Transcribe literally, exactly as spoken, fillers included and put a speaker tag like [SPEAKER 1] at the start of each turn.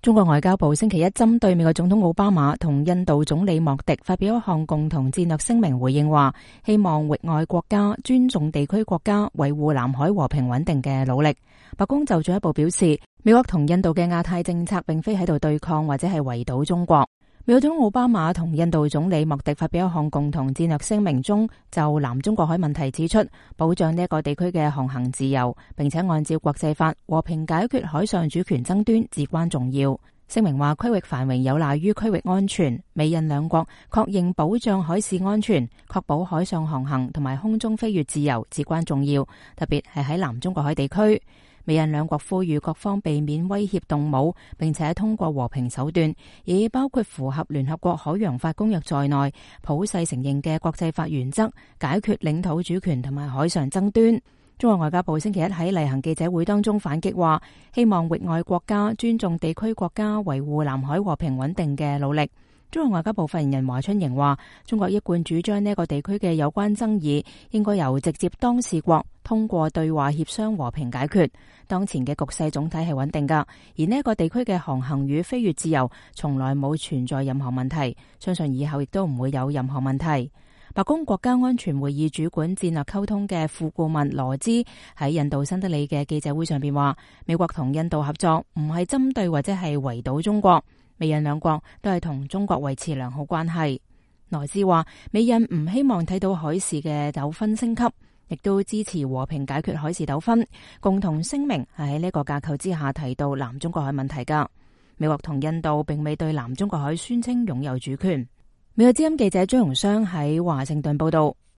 [SPEAKER 1] 中國外交部星期一針對美國總統奧巴馬同印度總理莫迪發表一項共同戰略聲明，回應話希望域外國家尊重地區國家維護南海和平穩定嘅努力。白宮就進一步表示，美國同印度嘅亞太政策並非喺度對抗或者係圍堵中國。美國總統奧巴馬同印度總理莫迪發表一項共同戰略聲明中，就南中國海問題指出，保障呢一個地區嘅航行自由，並且按照國際法和平解決海上主權爭端至關重要。聲明話，區域繁榮有賴於區域安全，美印兩國確認保障海事安全、確保海上航行同埋空中飛越自由至關重要，特別係喺南中國海地區。美印兩國呼籲各方避免威脅動武，並且通過和平手段，以包括符合聯合國海洋法公約在內普世承認嘅國際法原則，解決領土主權同埋海上爭端。中國外交部星期一喺例行記者會當中反擊話，希望域外國家尊重地區國家維護南海和平穩定嘅努力。中國外交部發言人華春瑩話，中國一貫主張呢一個地區嘅有關爭議應該由直接當事國通過對話協商和平解決。當前嘅局勢總體係穩定噶，而呢一個地區嘅航行與飛越自由從來冇存在任何問題，相信以後亦都唔會有任何問題。白宮國家安全會議主管戰略溝通嘅副顧問羅茲喺印度新德里嘅記者會上邊話，美國同印度合作唔係針對或者係圍堵中國，美印兩國都係同中國維持良好關係。羅茲話，美印唔希望睇到海事嘅糾紛升級，亦都支持和平解決海事糾紛。共同聲明係喺呢個架構之下提到南中國海問題噶。美國同印度並未對南中國海宣稱擁有主權。美國之音記者張榮湘喺華盛頓報道。